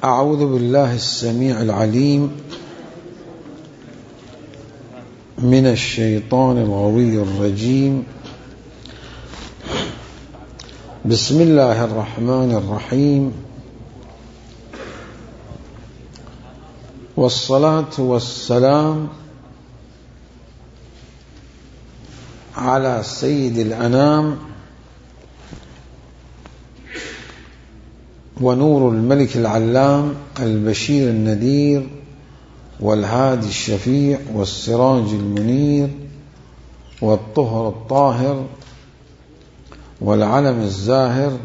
أعوذ بالله السميع العليم من الشيطان الغوي الرجيم. بسم الله الرحمن الرحيم، والصلاة والسلام على سيد الأنام ونور الملك العلام البشير النذير والهادي الشفيع والسراج المنير والطهر الطاهر والعلم الزاهر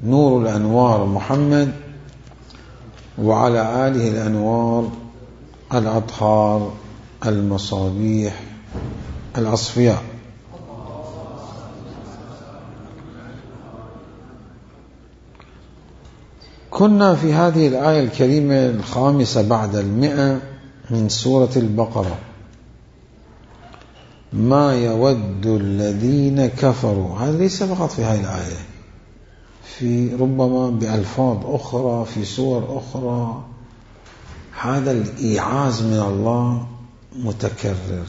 نور الأنوار محمد وعلى آله الأنوار الأطهار المصابيح الأصفياء. كنا في هذه الآية الكريمة الخامسة بعد 100 من سورة البقرة. ما يود الذين كفروا، هذا ليس فقط في هذه الآية، في ربما بألفاظ أخرى في سور أخرى. هذا الإيعاز من الله متكرر.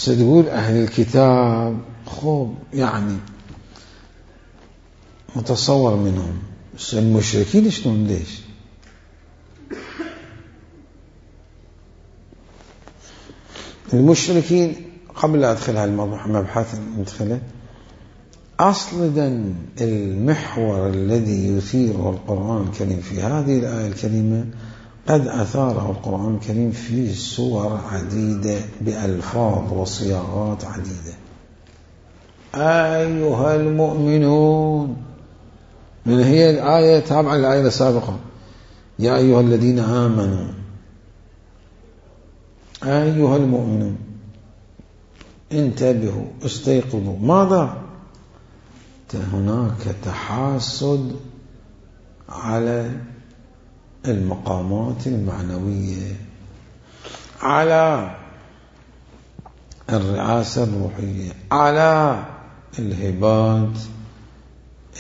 يقول أهل الكتاب، خوب يعني متصور منهم، بس المشركين شلون؟ ليش؟ المشركين قبل لا أدخل هالمبحث ندخله، أصلا المحور الذي يثيره القرآن الكريم في هذه الآية الكريمة قد أثاره القرآن الكريم في سور عديدة بألفاظ وصياغات عديدة. أيها المؤمنون، من هي الآية تابعة للآية السابقة، يا أيها الذين آمنوا، أيها المؤمنون انتبهوا استيقظوا. ماذا؟ هناك تحاسد على المقامات المعنوية، على الرئاسة الروحية، على الهبات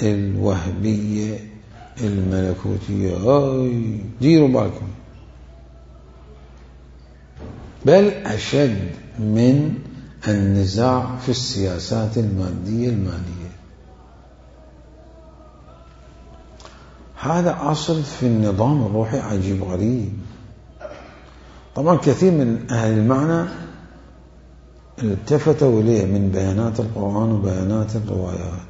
الوهبية الملكوتية. ديروا بالكم، بل أشد من النزاع في السياسات المادية المالية. هذا أصل في النظام الروحي عجيب غريب. طبعا كثير من أهل المعنى التفتوا إليه من بيانات القرآن وبيانات الروايات.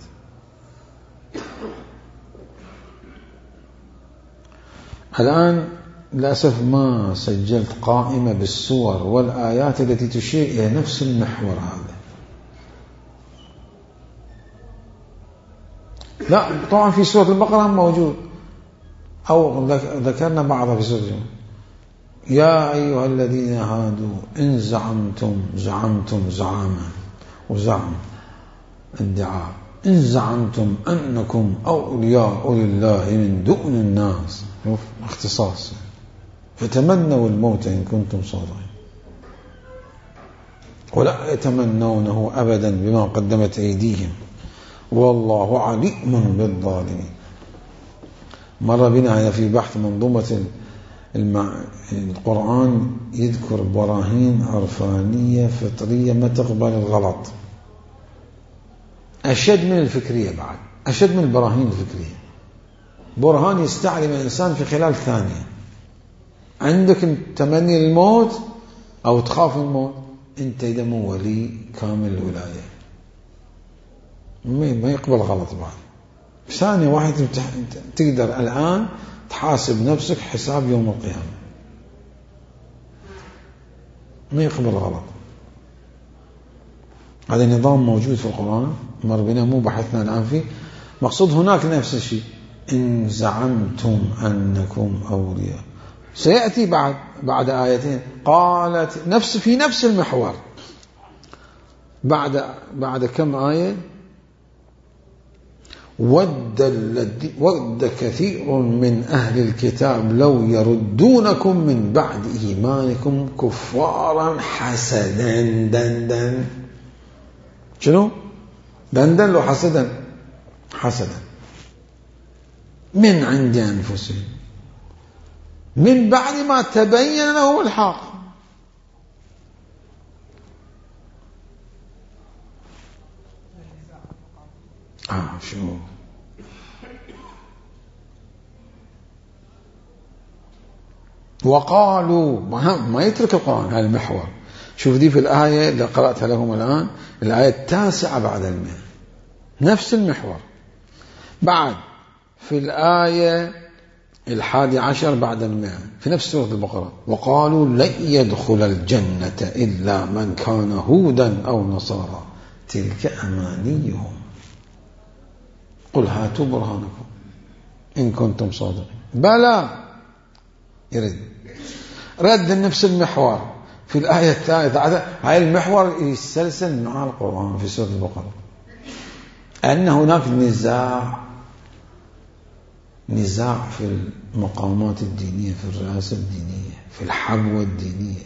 الآن للأسف ما سجلت قائمة بالسور والآيات التي تشير إلى نفس المحور هذا. لا طبعا في سورة البقرة موجود، أو ذكرنا بعضها في سورة الجمعة. يا أيها الذين هادوا إن زعمتم زعاما وزعم ادعاء، إن زعمتم أنكم أولياء لله من دون الناس، اختصاص، فتمنوا الموت إن كنتم صادقين ولا يتمنونه أبدا بما قدمت أيديهم والله عليم بالظالمين. مر بنا في بحث منظومة القرآن يذكر براهين عرفانية فطرية ما تقبل الغلط، أشد من الفكرية، بعد أشد من البراهين الفكرية. برهان يستعلم الإنسان في خلال ثانية. عندك تمني الموت أو تخاف الموت، أنت إذا مو ولي كامل الولاية ما يقبل غلط. بعد ثانية واحدة تقدر الآن تحاسب نفسك حساب يوم القيامة، ما يقبل غلط. هذا النظام موجود في القرآن، مر بنا، مو بحثنا الآن فيه. مقصود هناك نفس الشيء، إن زعمتم أنكم أولياء، سيأتي بعد آيتين قالت في نفس المحور بعد كم آية. ود كثير من أهل الكتاب لو يردونكم من بعد إيمانكم كفارا حسدا. شنو؟ دندن له حسدا من عند أنفسهم من بعد ما تبين لهم الحق. شو وقالوا ما يترك القرآن هذا المحور. شوف دي في الآية اللي قرأتها لكم الآن، الآية 9 بعد 100 نفس المحور. بعد في الآية 11 بعد 100 في نفس سورة البقرة، وقالوا لن يدخل الجنة إلا من كان هودا أو نصارى تلك أمانيهم قل هاتوا برهانكم إن كنتم صادقين. بلى يرد رد نفس المحور في الآية الثالثة. هاي المحور يسلسل مع القرآن في سورة البقرة، أن هناك نزاع في المقامات الدينية، في الرئاسة الدينية، في الحبوة الدينية،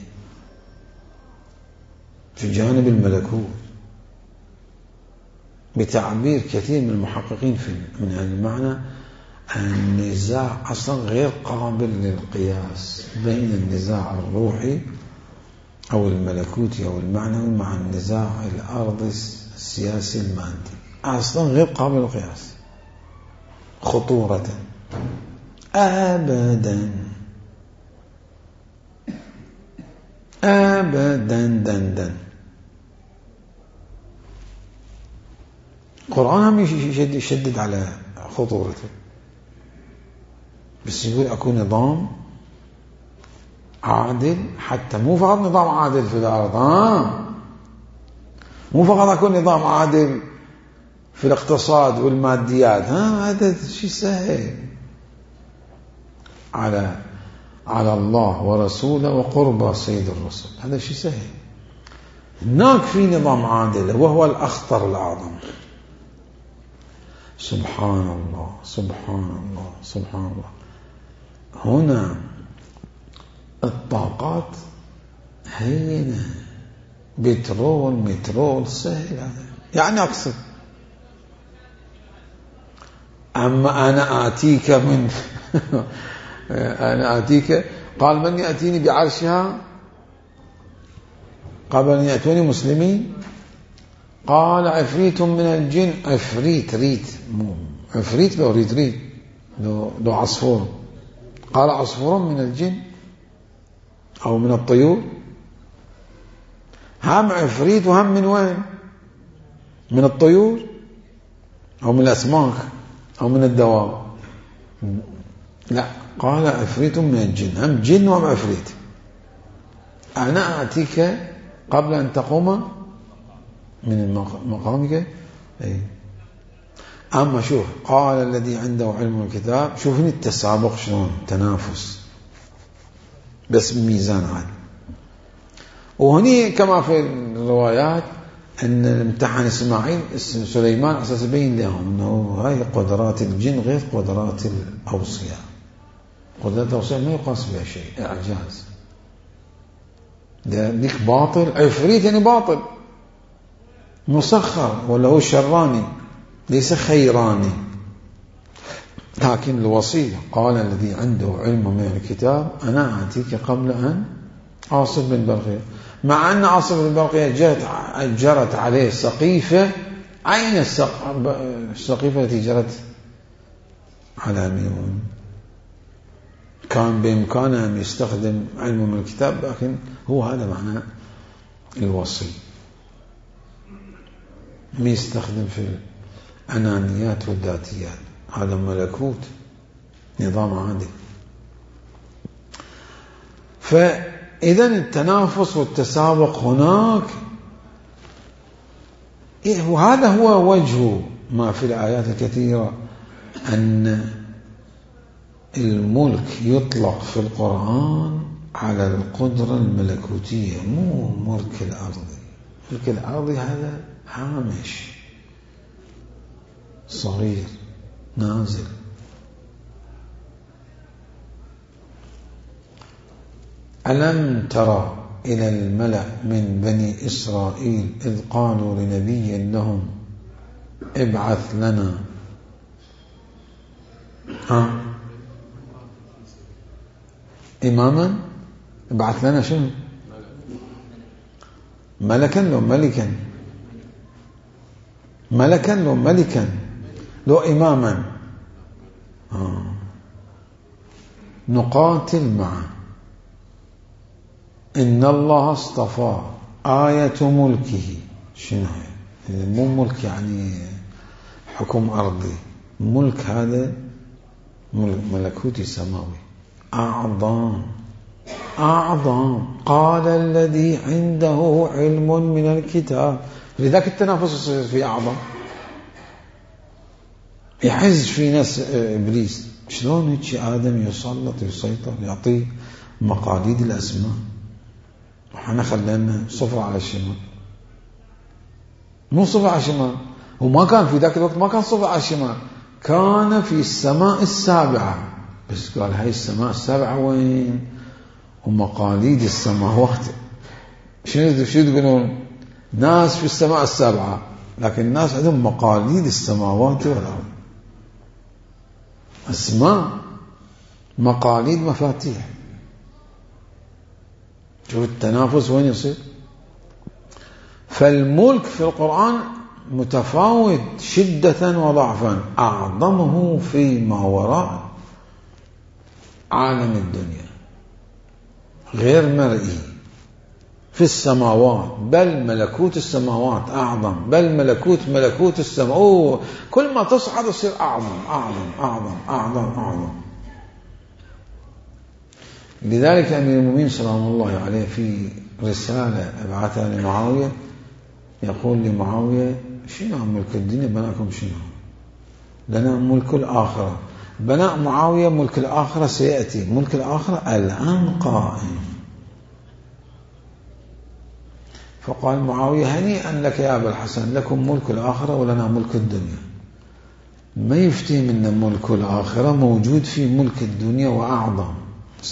في جانب الملكوت، بتعبير كثير من المحققين من هذا المعنى النزاع أصلا غير قابل للقياس بين النزاع الروحي أو الملكوتي أو المعنوي مع النزاع الأرضي السياسي المادي، أصلا غير قابل للقياس خطورة أبدا دن. القرآن هم يشدد على خطورته، بس يقول أكون نظام عادل، حتى مو فقط نظام عادل في الأرض، مو فقط أكون نظام عادل في الاقتصاد والماديات، هذا شيء سهل على الله ورسوله وقرب سيد الرسل، هذا شيء سهل. هناك في نظام عادل وهو الأخطر الأعظم. سبحان الله سبحان الله سبحان الله. هنا الطاقات هينة، مترول سهل هذا، يعني أقصد أما أنا آتيك أنا آتيك قال من يأتيني بعرشها قبل أن يأتوني مسلمين، قال عفريت من الجن، عفريت لو ريت لو عصفور، قال عصفور من الجن أو من الطيور، هم عفريت وهم من وين؟ من الطيور أو من الأسماك أو من الدواب؟ لا، قال عفريت من الجن، هم جن وهم عفريت. أنا آتيك قبل أن تقوم من مقامك. أما شوف قال الذي عنده علم الكتاب، شوفني التسابق شلون تنافس بس بميزان عالي. وهني كما في الروايات أن الامتحان سليمان أساس يبين لهم أنه هاي قدرات الجن غير قدرات الأوصياء. قدرات الأوصياء ما يقاس بها شيء، إعجاز. ذيك باطل، عفريت يعني باطل مسخر، ولا هو شراني ليس خيراني. لكن الوصية قال الذي عنده علم من الكتاب أنا آتيك قبل أن عاصف بن برقية، مع أن عاصف بن برقية جرت عليه سقيفة. أين السقيفة التي جرت على ميمون؟ كان بإمكانه أن يستخدم علمه من الكتاب، لكن هو هذا معنى الوصي، ما يستخدم في الأنانيات والذاتيات، هذا ملكوت نظام عادل. فإذا التنافس والتسابق هناك، وهذا هو وجه ما في الآيات الكثيرة أن الملك يطلق في القرآن على القدرة الملكوتية، مو ملك الأرضي. ملك الأرضي هذا هامش صغير نازل. ألم ترى إلى الملأ من بني إسرائيل إذ قالوا لنبي لهم ابعث لنا إماما. ابعث لنا شنو؟ ملكا لو ملكا؟ ملكا لو ملكا لو إماما؟ نقاتل معه. إن الله اصطفى آية ملكه. شنو هي؟ مو ملك يعني حكم أرضي، ملك هذا ملكوتي سماوي أعظم. أعظم. قال الذي عنده علم من الكتاب. لذلك التنافس يصير في أعظم، يحز في ناس إبليس. شلون هيك آدم يسلط يسيطر يعطيه مقاليد الأسماء، وحنا خلينا صفر على الشمال. مو صفر على الشمال، وما كان في ذاك الوقت، ما كان صفر على الشمال، كان في السماء السابعة. بس قال هاي السماء السابعة وين؟ ومقاليد السماوات. شنو تقولون؟ ناس في السماء السابعة، لكن الناس عندهم مقاليد السماوات والأرض، أسماء، مقاليد، مفاتيح. شوف التنافس وين يصير. فالملك في القرآن متفاوت شدة وضعفا، أعظمه فيما وراء عالم الدنيا غير مرئي في السماوات، بل ملكوت السماوات أعظم، بل ملكوت السماوات. كل ما تصعد يصير أعظم أعظم أعظم أعظم أعظم. لذلك أمير المؤمنين سلام الله عليه في رسالة أبعثها لمعاوية يقول لمعاوية: شنو ملك الدنيا بناكم؟ شنو لنا ملك الآخرة. بناء معاوية ملك الآخرة سيأتي، ملك الآخرة الآن قائم. فقال معاوية: هنيئا لك يا أبا الحسن، لكم ملك الآخرة ولنا ملك الدنيا. ما يفتهم أن ملك الآخرة موجود في ملك الدنيا وأعظم.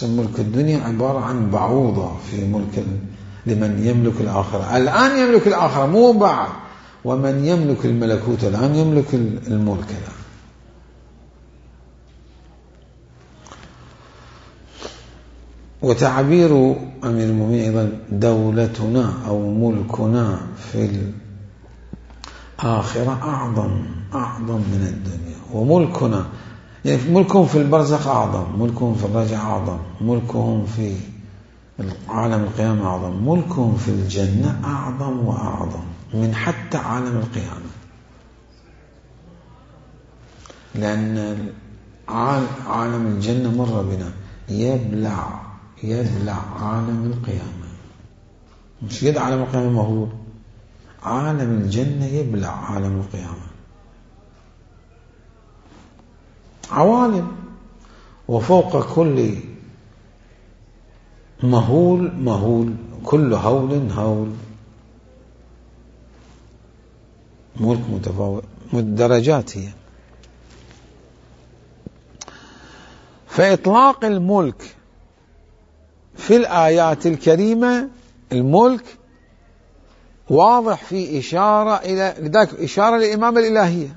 ملك الدنيا عبارة عن بعوضة في ملك لمن يملك الآخرة. الآن يملك الآخرة، مو بعد. ومن يملك الملكوت الآن يملك الملك الآن. وتعبير أمير المؤمنين أيضا: دولتنا أو ملكنا في الآخرة أعظم من الدنيا. وملكنا يعني ملكهم في البرزخ أعظم، ملكهم في الرجع أعظم، ملكهم في عالم القيامة أعظم، ملكهم في الجنة أعظم وأعظم من حتى عالم القيامة. لأن عالم الجنة مر بنا، يبلع عالم القيامة. مش قد عالم القيامة مهول، عالم الجنة يبلع عالم القيامة. عوالم، وفوق كل مهول كل هول. ملك متفاوت، درجات هي. فإطلاق الملك في الآيات الكريمة، الملك واضح في إشارة إلى، لذلك إشارة للإمامة الإلهية.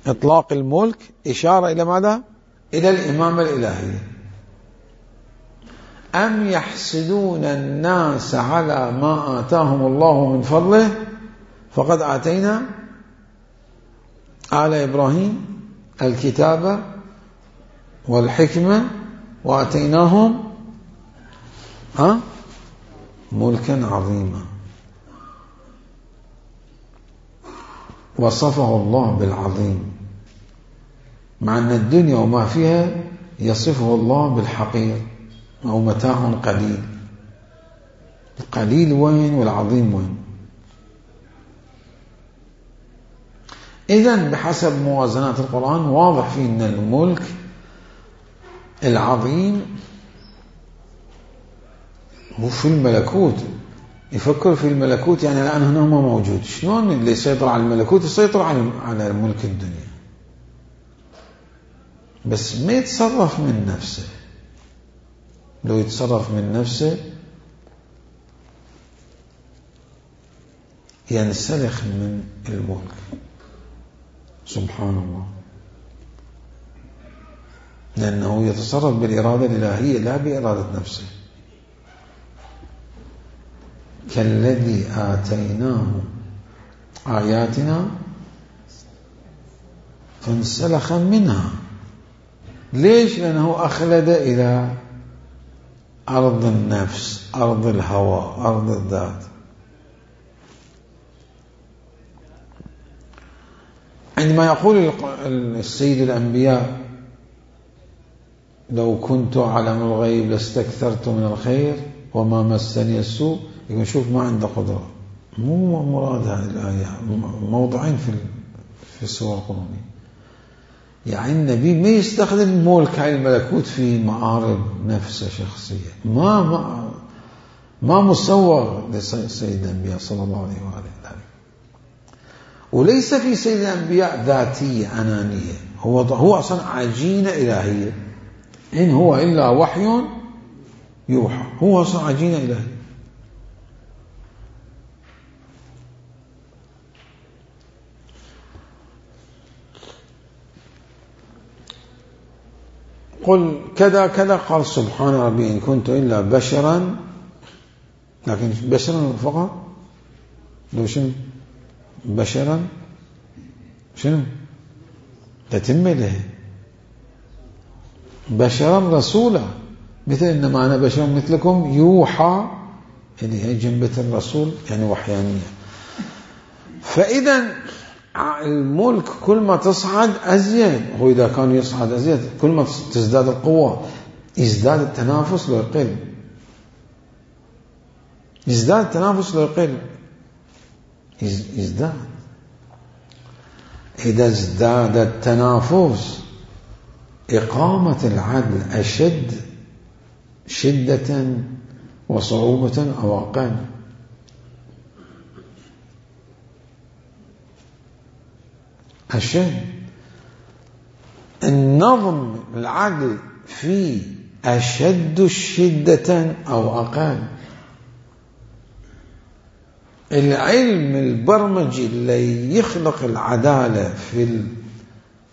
إطلاق الملك إشارة إلى ماذا؟ إلى الإمامة الإلهية. أم يحسدون الناس على ما آتاهم الله من فضله فقد آتينا آل إبراهيم الكتاب والحكمة وآتيناهم ملكا عظيما. وصفه الله بالعظيم، مع أن الدنيا وما فيها يصفه الله بالحقير أو متاع قليل. القليل وين والعظيم وين؟ إذن بحسب موازنات القرآن واضح فيه أن الملك العظيم هو في الملكوت. يفكر في الملكوت يعني الآن هنا ما موجود. شلون اللي يسيطر على الملكوت يسيطر على ملك الدنيا، بس ما يتصرف من نفسه. لو يتصرف من نفسه ينسلخ من الملك. سبحان الله، لأنه يتصرف بالإرادة الإلهية لا بإرادة نفسه. كالذي آتيناه آياتنا فانسلخ منها. ليش؟ لأنه أخلد إلى أرض النفس، أرض الهوى، أرض الذات. عندما يقول السيد الأنبياء لو كنت أعلم الغيب لاستكثرت من الخير وما مسني السوء، يقول شوف ما عنده قدرة. مو مراد هذه الآية، موضعين في السورة القرآنية. يعني النبي ما يستخدم ملك هاي الملكوت في معارض نفسه شخصية، ما مسوغ لسيد الأنبياء صلى الله عليه وآله. وليس في سيد الأنبياء ذاتية أنانية، هو أصلا عجينة إلهية، إن هو إلا وحي يوحى، هو أصلا عجينة إلهية. قل كذا كذا، قال سبحان ربي إن كنت إلا بشرا، لكن بشرا فقط. لو شنو بشرا شنو تتم له بشرا رسولا، مثل إنما أنا بشر مثلكم يوحى، يعني هي جنبة الرسول يعني وحيانية. فإذا الملك كل ما تصعد أزيد، هو إذا كان يصعد أزيد كل ما تزداد القوة يزداد التنافس لو يقل، يزداد التنافس لو يقل، يزداد. إذا ازداد التنافس إقامة العدل أشد شدة وصعوبة أو أقل. أشد النظم العدل فيه أشد شدة أو أقل. العلم البرمجي اللي يخلق العدالة في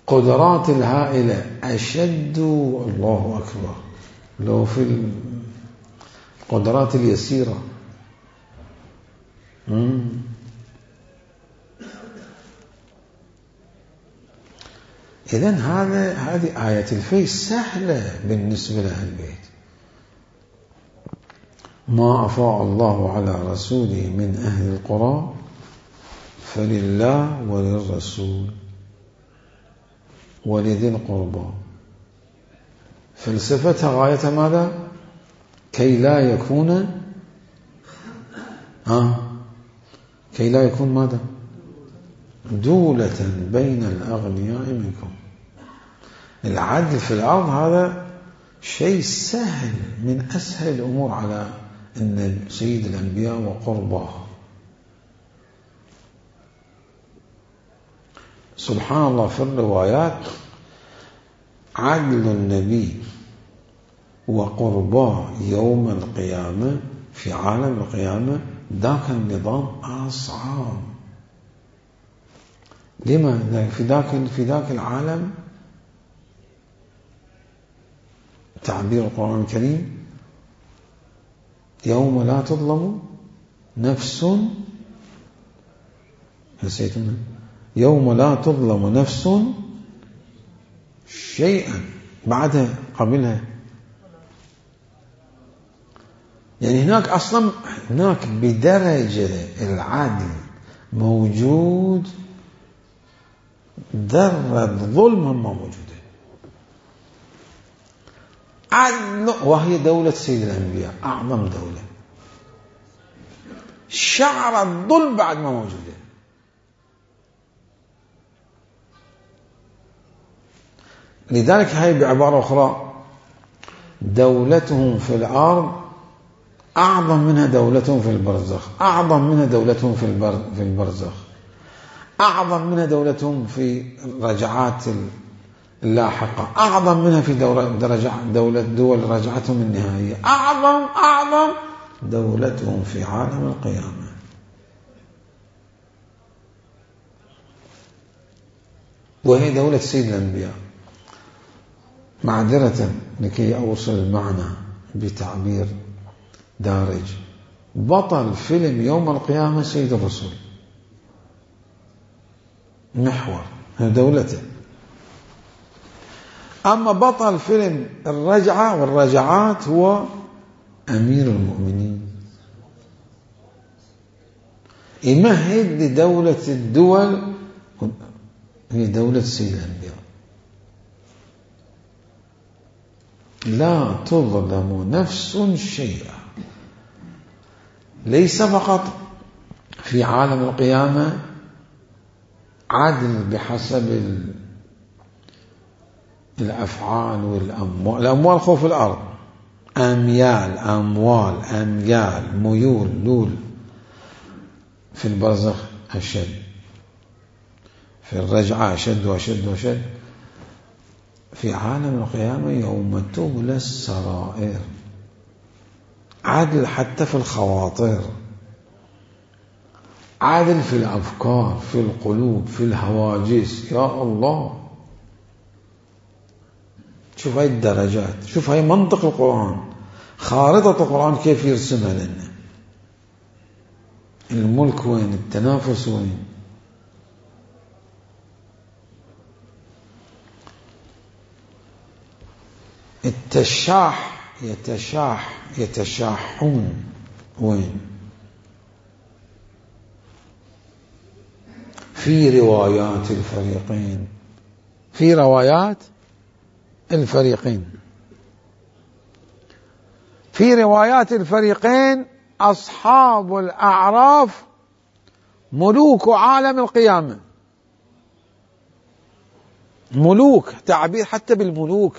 القدرات الهائلة أشد، الله أكبر، لو في القدرات اليسيرة. إذن هذه آية الفيل سهلة بالنسبة لأهل البيت. ما أفاء الله على رسوله من أهل القرى فلله وللرسول ولذي القربى. فلسفتها غاية ماذا؟ كي لا يكون ماذا؟ دولة بين الأغنياء منكم. العدل في الأرض هذا شيء سهل، من أسهل الأمور على أن سيد الأنبياء وقرباه. سبحان الله، في الروايات عدل النبي وقرباه يوم القيامة في عالم القيامة ذاك النظام أصعب. لما؟ في ذاك العالم تعبير القرآن الكريم يوم لا تظلم نفس، نسيتنا، يوم لا تظلم نفس شيئا، بعدها قبلها. يعني هناك بدرجة العدل موجود، ذرة ظلم ما موجودة. عدل، وهي دولة سيد الأنبياء أعظم دولة، شعر الظلم بعد ما موجودة. لذلك هاي بعبارة أخرى دولتهم في الأرض أعظم منها دولتهم في البرزخ، أعظم منها دولتهم في البرزخ، أعظم منها دولتهم في رجعات اللاحقة، أعظم منها في دول رجعتهم النهائية، أعظم دولتهم في عالم القيامة. وهي دولة سيد الأنبياء. معذرة لكي أوصل المعنى بتعبير دارج، بطل فيلم يوم القيامة سيد الرسول، محور دولته. أما بطل فيلم الرجعة والرجعات هو أمير المؤمنين، يمهد لدولة الدول، هي دولة سيد الأنبياء. لا تظلم نفس شيئا، ليس فقط في عالم القيامة عدل بحسب الأفعال والأموال، الأموال خوف الأرض، أميال أموال أميال ميول لول، في البرزخ أشد، في الرجعة أشد وأشد وأشد، في عالم القيامة يوم تبلى السرائر، عدل حتى في الخواطر، عدل في الأفكار، في القلوب، في الهواجس. يا الله، شوف هاي الدرجات، شوف هاي منطق القرآن، خارطة القرآن كيف يرسمها لنا. الملك وين، التنافس وين. التشاح يتشاحون وين. في روايات الفريقين، في روايات الفريقين، في روايات الفريقين أصحاب الأعراف ملوك عالم القيامة. ملوك، تعبير حتى بالملوك،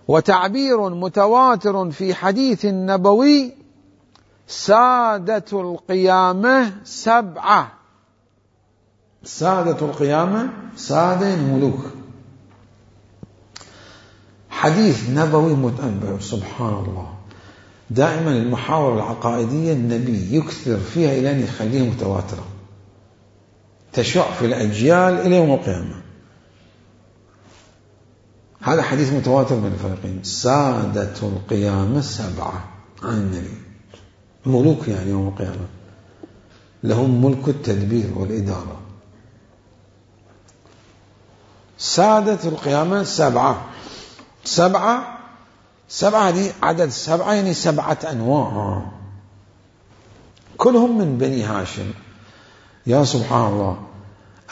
وتعبير متواتر في حديث نبوي: سادة القيامة سبعة. سادة القيامة، سادة الملوك، حديث نبوي متنبأ. سبحان الله، دائما المحاور العقائدية النبي يكثر فيها إلى أن يخليها متواترة، تشع في الأجيال إلى يوم القيامة. هذا حديث متواتر من الفريقين: سادة القيامة سبعة عن النبي، ملوك يعني يوم القيامة، لهم ملك التدبير والإدارة. سادة القيامة سبعة، سبعة هذه عدد سبعة، يعني 7 أنواع، كلهم من بني هاشم. يا سبحان الله،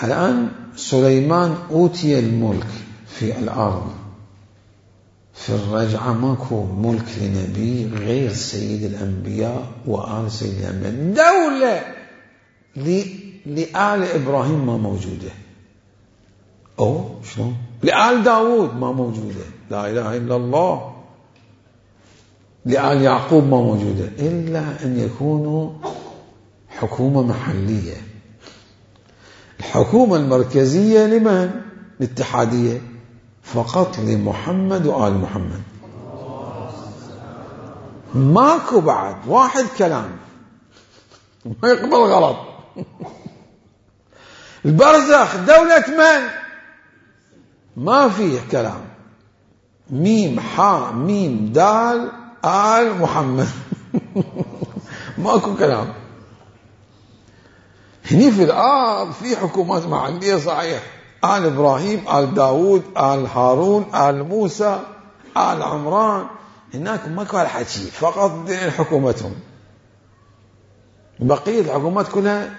الآن سليمان أوتي الملك في الأرض، في الرجعة ماكو ملك لنبي غير سيد الأنبياء وآل سيد الأنبياء. دولة لآل إبراهيم ما موجودة، أو شلون لآل داود ما موجودة، لا إله إلا الله. لآل يعقوب ما موجودة، إلا أن يكونوا حكومة محلية. الحكومة المركزية لمن؟ الاتحادية، فقط لمحمد وآل محمد، ماكو بعد واحد كلام ما يقبل غلط. البرزخ دولة من؟ ما فيه كلام، ميم حاء ميم دال آل محمد. ماكو كلام. هني في الأرض في حكومات محلية صحيح، آل إبراهيم، آل داود، آل هارون، آل موسى، آل عمران، هناك ماكو هالحكي، فقط حكومتهم. بقية الحكومات كلها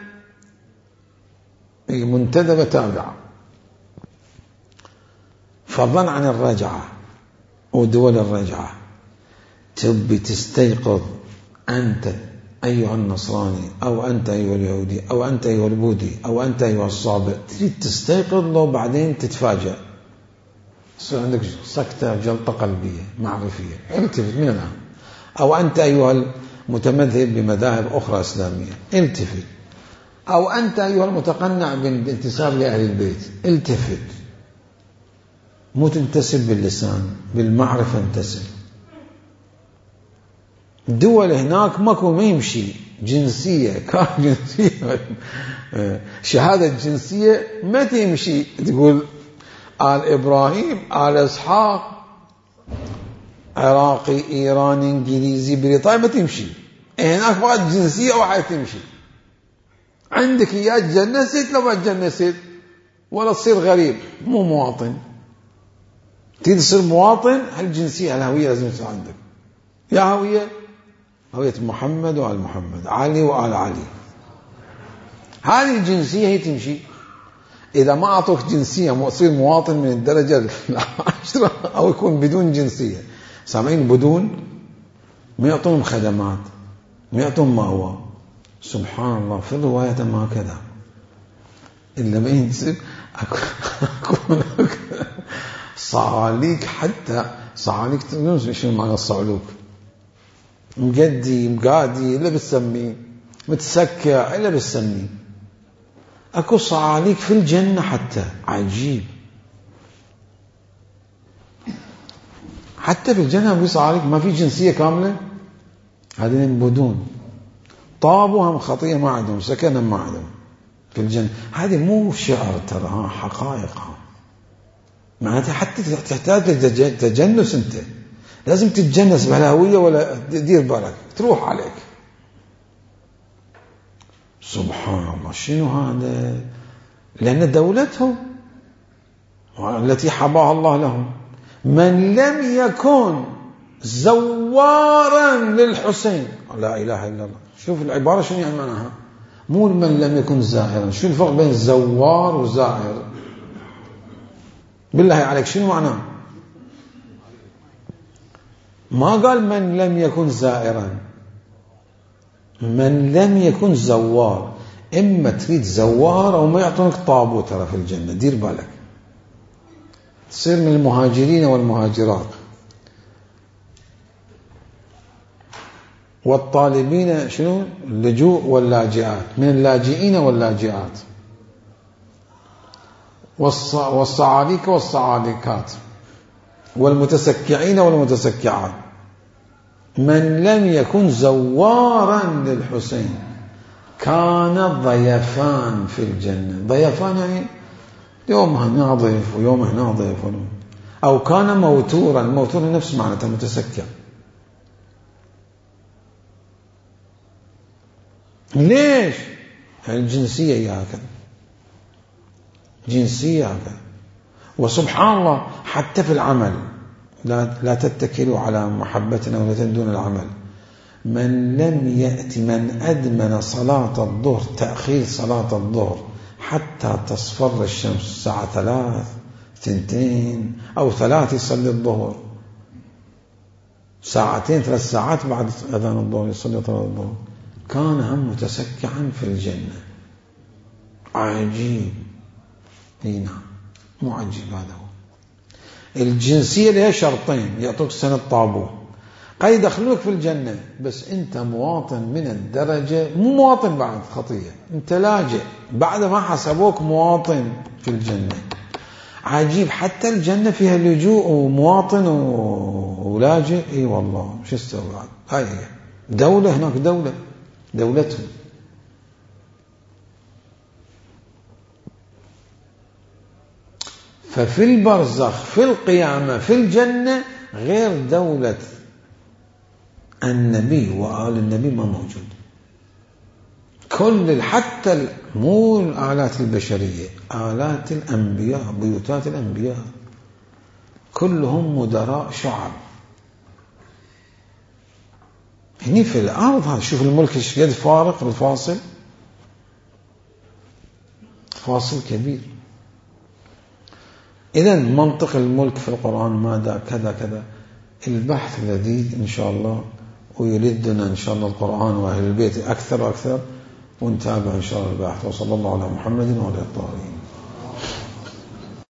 منتدبة تابعة. فضلا عن الرجعة ودول الرجعة، تبي تستيقظ أنت أيها النصراني، أو أنت أيها اليهودي، أو أنت أيها البوذي، أو أنت أيها الصابئ، تريد تستيقظ لو بعدين تتفاجأ، يصير عندك سكتة جلطة قلبية معرفية، التفت من الآن. أو أنت أيها المتمذهب بمذاهب أخرى إسلامية، التفت. أو أنت أيها المتقنع بالانتساب لأهل البيت، التفت. مو تنتسب باللسان، بالمعرفة انتسب. الدول هناك ماكو، ما يمشي جنسية، كان جنسية شهادة جنسية ما تمشي تقول آل إبراهيم آل إسحاق عراقي إيراني إنجليزي بريطاني، ما تمشي. هناك فقط جنسية واحدة تمشي. عندك يا تجنست لو ما تجنست، ولا تصير غريب مو مواطن. تريد تصير مواطن، هالجنسية الهوية لازم تصير عندك. يا هوية محمد وآل محمد، علي وآل علي. هذه الجنسية هي تمشي. إذا ما أعطوك جنسية تصير مواطن من الدرجة العاشرة، أو يكون بدون جنسية. سامعين بدون، ما يعطون خدمات، ما يعطون مأوى. سبحان الله، في الرواية ما كذا إلا ما ينسب أكون صعاليك. حتى صعاليك تنسوا شنو معنى الصعلوك؟ مقدي مقادي إلا بتسميه، متسكع إلا بتسميه. أكو صعاليك في الجنة حتى، عجيب. حتى في الجنة في صعاليك، ما في جنسية كاملة. هذين بدون، طابوا هم خطية ما عندهم، سكنا ما عندهم في الجنة. هذه مو شعر ترى، حقائق. معناتها حتى تحتاج تجنس. انت لازم تتجنس بهالهوية، ولا دير بالك تروح عليك. سبحان الله، شنو هذا؟ لأن دولتهم التي حباها الله لهم. من لم يكن زوارا للحسين، لا إله إلا الله. شوف العبارة شنو يعني معناها. مو من لم يكن زائرا. شو الفرق بين زوار وزائر؟ بالله عليك شنو معناه؟ ما قال من لم يكن زائرا، من لم يكن زوار. إما تريد زوار أو ما يعطونك طابو ترى في الجنة، دير بالك. تصير من المهاجرين والمهاجرات والطالبين شنو اللجوء واللاجئات، من اللاجئين واللاجئات، والصعاليك والصعاليكات، والمتسكعين والمتسكعات. من لم يكن زوارا للحسين كان ضيفان في الجنة. ضيفان يعني يوم هنا ضيف ويوم هنا ضيف. أو كان موتورا. موتورا نفس معناته متسكع. ليش؟ الجنسية هي هكذا، جنسية هكذا. وسبحان الله حتى في العمل لا تتكلوا على محبتنا ولا تندون العمل. من لم يأتي، من أدمن صلاة الظهر، تأخير صلاة الظهر حتى تصفر الشمس الساعة 3 2 أو 3 يصلي الظهر، 2 3 ساعات بعد أذان الظهر يصلي صلاة الظهر، كان هم متسكعا في الجنة. عجيب. نعم، مو عجيب. هذا هو الجنسية. لها شرطين، يعطوك سنة طابو، قد يدخلوك في الجنة، بس أنت مواطن من الدرجة، مو مواطن بعد خطية، أنت لاجئ بعد ما حسبوك مواطن في الجنة. عجيب. حتى الجنة فيها لجوء ومواطن ولاجئ. اي والله، شو استوى بعد؟ هاي هي دولة. هناك دولة، دولتهم. ففي البرزخ، في القيامة، في الجنة، غير دولة النبي وآل النبي ما موجود. كل حتى مو الآلات البشرية، آلات الأنبياء، بيوتات الأنبياء كلهم مدراء شعب. هني في الأرض هذا، شوف الملك ايش قد فارق بالفاصل، فاصل كبير. إذا منطق الملك في القرآن ماذا كذا كذا. البحث لذيذ إن شاء الله، ويلدنا إن شاء الله القرآن وأهل البيت أكثر وأكثر، ونتابع إن شاء الله البحث. وصلى الله على محمد وعلى آله الطاهرين.